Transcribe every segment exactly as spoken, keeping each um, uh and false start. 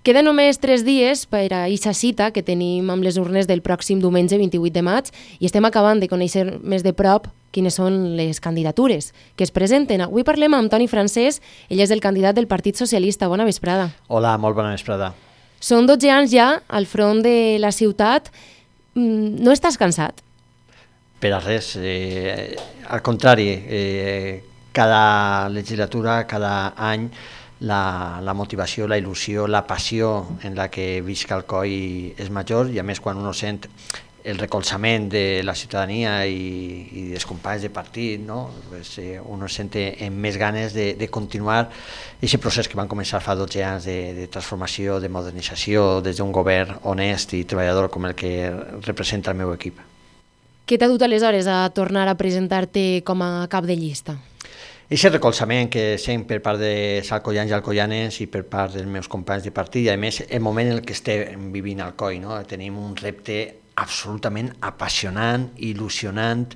Queden només tres dies per a aquesta cita que tenim amb les urnes del pròxim diumenge vint-i-vuit de maig i estem acabant de conèixer més de prop quines són les candidatures que es presenten. Avui parlem amb Toni Francés, ell és el candidat del Partit Socialista. Bona vesprada. Hola, molt bona vesprada. Són dotze anys ja al front de la ciutat. No estàs cansat? Per a res, eh, al contrari, eh, cada legislatura, cada any, la, la motivació, la il·lusió, la passió en la que visc Alcoi és major i a més quan uno sent el recolzament de la ciutadania i, i dels companys de partit, no? Pues, eh, uno sent amb més ganes de, de continuar aquest procés que van començar fa dotze anys de, de transformació, de modernització des d'un govern honest i treballador com el que representa el meu equip. Què t'ha dut aleshores a tornar a presentar-te com a cap de llista? Aquest recolzament que sent per part dels alcoians i alcoianes i per part dels meus companys de partit i a més el moment en què estem vivint a Alcoi, no? Tenim un repte absolutament apassionant, il·lusionant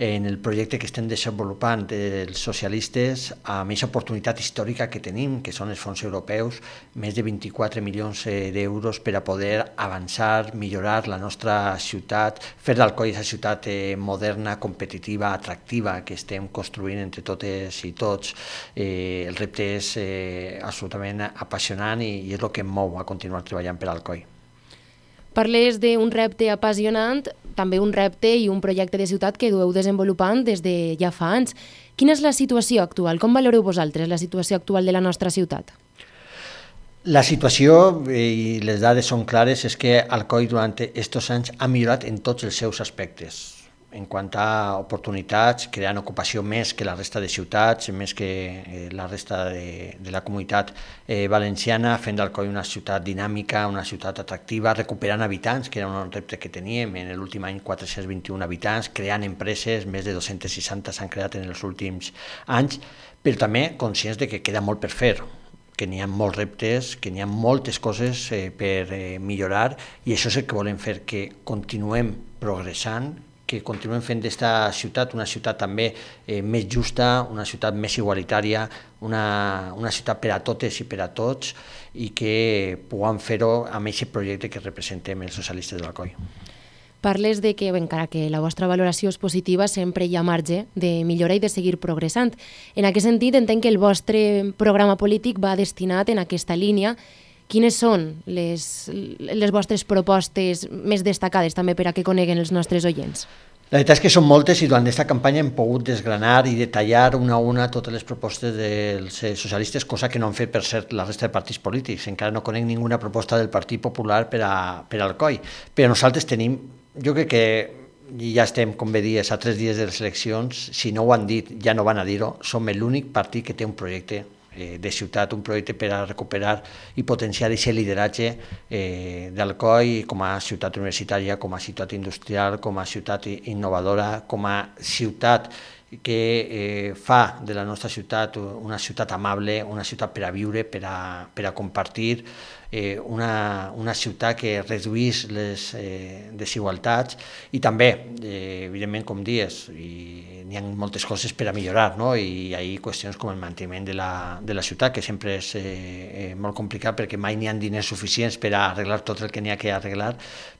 en el projecte que estem desenvolupant els socialistes amb aquesta oportunitat històrica que tenim, que són els fons europeus, més de vint-i-quatre milions d'euros per a poder avançar, millorar la nostra ciutat, fer d'Alcoi aquesta ciutat moderna, competitiva, atractiva que estem construint entre totes i tots. Eh, el repte és eh, absolutament apassionant i, i és el que em mou a continuar treballant per Alcoi. Parles d'un repte apassionant, també un repte i un projecte de ciutat que dueu desenvolupant des de ja fa anys. Quina és la situació actual? Com valoreu vosaltres la situació actual de la nostra ciutat? La situació, i les dades són clares, és que Alcoi durant aquests anys ha millorat en tots els seus aspectes. En quant a oportunitats, creant ocupació més que la resta de ciutats, més que eh, la resta de, de la comunitat eh, valenciana, fent d'Alcoi una ciutat dinàmica, una ciutat atractiva, recuperant habitants, que era un repte que teníem, en l'últim any quatre-cents vint-i-un habitants, creant empreses, més de dos-cents seixanta s'han creat en els últims anys, però també conscients de que queda molt per fer, que n'hi ha molts reptes, que n'hi ha moltes coses eh, per eh, millorar i això és el que volem fer, que continuem progressant, que continuem fent d'esta ciutat una ciutat també eh, més justa, una ciutat més igualitària, una, una ciutat per a totes i per a tots i que puguem fer-ho amb aquest projecte que representem els socialistes d'Alcoi. Parles de que, encara que la vostra valoració és positiva, sempre hi ha marge de millorar i de seguir progressant. En aquest sentit, entenc que el vostre programa polític va destinat en aquesta línia. Quines són les, les vostres propostes més destacades també per a que coneguen els nostres oients? La veritat és que són moltes i durant aquesta campanya hem pogut desgranar i detallar una a una totes les propostes dels socialistes, cosa que no han fet, per cert, la resta de partits polítics. Encara no conec ninguna proposta del Partit Popular per a, per a Alcoi. Però nosaltres tenim, jo crec que ja estem, com bé dies, a tres dies de les eleccions, si no ho han dit, ja no van a dir-ho, som l'únic partit que té un projecte de ciutat, un projecte per a recuperar i potenciar aquest lideratge eh, d'Alcoi com a ciutat universitària, com a ciutat industrial, com a ciutat innovadora, com a ciutat que eh, fa de la nostra ciutat una ciutat amable, una ciutat per a viure, per a, per a compartir, eh, una, una ciutat que reduís les eh, desigualtats i també, eh, evidentment, com dies, i n'hi ha moltes coses per a millorar, no? I hi ha qüestions com el manteniment de la, de la ciutat, que sempre és eh, molt complicat perquè mai n'hi ha diners suficients per a arreglar tot el que n'hi ha que arreglar,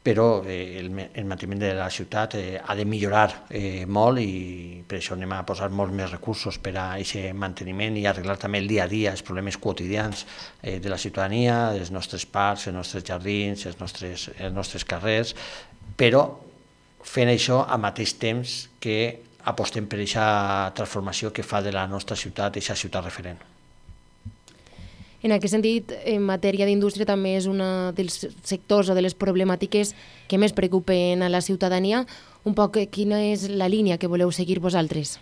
però eh, el, el manteniment de la ciutat eh, ha de millorar eh, molt i per això anem a posar molts més recursos per a aquest manteniment i arreglar també el dia a dia, els problemes quotidians eh, de la ciutadania, els nostres parcs, els nostres jardins, els nostres, els nostres carrers, però fent això al mateix temps que apostem per aquesta transformació que fa de la nostra ciutat aquesta ciutat referent. En aquest sentit, en matèria d'indústria també és un dels sectors o de les problemàtiques que més preocupen a la ciutadania. Un poc quina és la línia que voleu seguir vosaltres?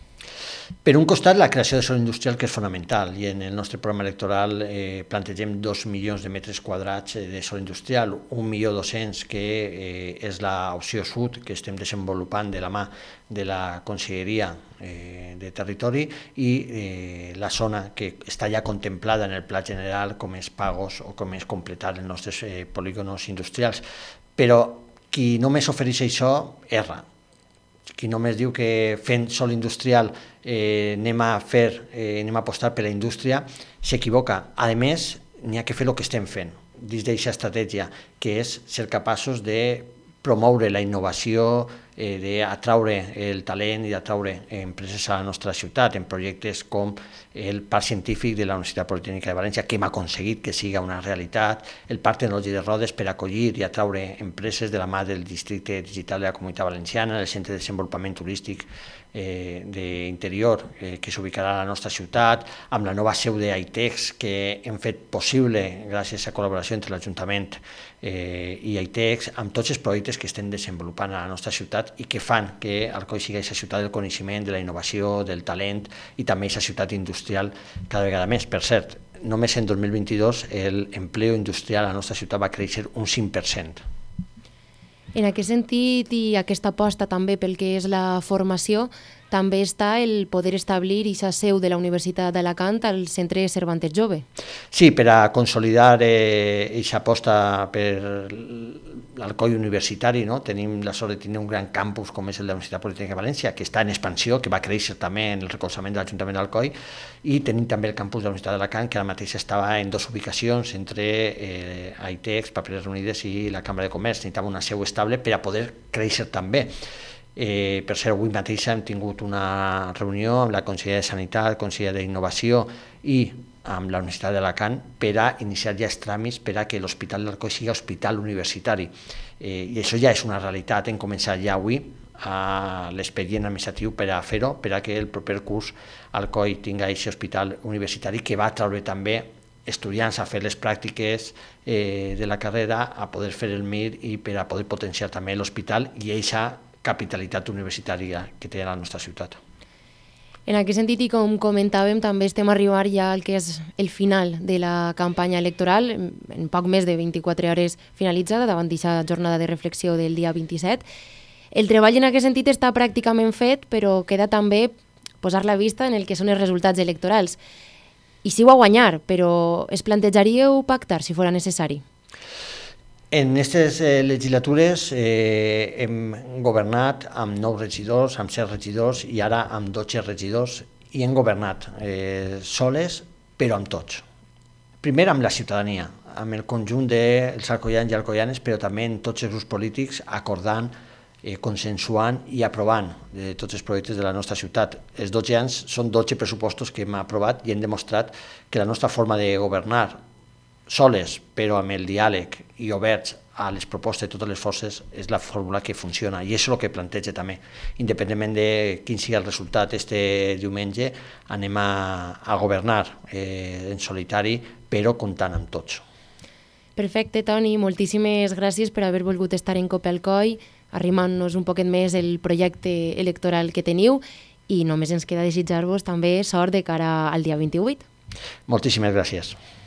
Per un costat, la creació de sòl industrial, que és fonamental, i en el nostre programa electoral eh, plantegem dos milions de metres quadrats de sòl industrial, un milió dos-cents que eh, és l'opció sud que estem desenvolupant de la mà de la Conselleria eh, de Territori i eh, la zona que està ja contemplada en el pla general com és Pagos o com és completar els nostres eh, polígonos industrials. Però qui només ofereix això, erra. Qui només diu que fent sòl industrial eh, anem a fer, eh, anem a apostar per la indústria, s'equivoca. A més, n'hi ha que fer el que estem fent. dins d'aquesta estratègia, que és ser capaços de promoure la innovació, eh, d'atraure el talent i d'atraure empreses a la nostra ciutat en projectes com el Parc Científic de la Universitat Politècnica de València, que hem aconseguit que siga una realitat, el Parc Tecnològic de Rodes per acollir i atraure empreses de la mà del Districte Digital de la Comunitat Valenciana, el Centre de Desenvolupament Turístic eh, d'interior eh, que s'ubicarà a la nostra ciutat, amb la nova seu d'Aitex que hem fet possible gràcies a col·laboració entre l'Ajuntament eh, i Aitex, amb tots els projectes que estem desenvolupant a la nostra ciutat i que fan que Alcoi sigui aquesta ciutat del coneixement, de la innovació, del talent i també aquesta ciutat industrial cada vegada més. Per cert, només en dos mil vint-i-dos l'empleo industrial a la nostra ciutat va créixer un cinc per cent. En aquest sentit i aquesta aposta també pel que és la formació, també està el poder establir aquesta seu de la Universitat d'Alacant al Centre Cervantes Jove. Sí, per a consolidar aquesta aposta per l'Alcoi universitari, no? Tenim la sort de tenir un gran campus com és el de la Universitat Politècnica de València, que està en expansió, que va créixer també en el recolzament de l'Ajuntament d'Alcoi, i tenim també el campus de la Universitat d'Alacant, que ara mateix estava en dues ubicacions entre eh, Aitex, Papereres Unides i la Cambra de Comerç. Necessitava una seu estable per a poder créixer també. Eh, per cert, avui mateix hem tingut una reunió amb la Consellera de Sanitat, Consellera d'Innovació i amb la Universitat d'Alacant per a iniciar ja els tràmits per a que l'Hospital d'Alcoi sigui hospital universitari. Eh, I això ja és una realitat, hem començat ja avui a l'expedient administratiu per a fer-ho, per a que el proper curs Alcoi tingui aquest hospital universitari que va traure també estudiants a fer les pràctiques eh, de la carrera, a poder fer el M I R i per a poder potenciar també l'hospital i aquesta capitalitat universitària que té la nostra ciutat. En aquest sentit, i com comentàvem, també estem arribant ja al que és el final de la campanya electoral, en poc més de vint-i-quatre hores finalitzada, davant d'aquesta jornada de reflexió del dia vint-i-set. El treball en aquest sentit està pràcticament fet, però queda també posar la vista en el que són els resultats electorals. I sí ho a guanyar, però es plantejaríeu pactar si fora necessari? En aquestes eh, legislatures eh, hem governat amb nou regidors, amb set regidors i ara amb dotze regidors i hem governat eh, soles però amb tots. Primer amb la ciutadania, amb el conjunt dels alcoians i alcoianes, però també en tots els grups polítics acordant, eh, consensuant i aprovant de tots els projectes de la nostra ciutat. Els dotze anys són dotze pressupostos que hem aprovat i hem demostrat que la nostra forma de governar soles, però amb el diàleg i oberts a les propostes de totes les forces, és la fórmula que funciona i és el que planteja també. Independentment de quin sigui el resultat este diumenge, anem a, a governar eh, en solitari, però comptant amb tots. Perfecte, Toni, moltíssimes gràcies per haver volgut estar en Copelcoi, arrimant-nos un poquet més el projecte electoral que teniu i només ens queda desitjar-vos també sort de cara al dia vint-i-vuit. Moltíssimes gràcies.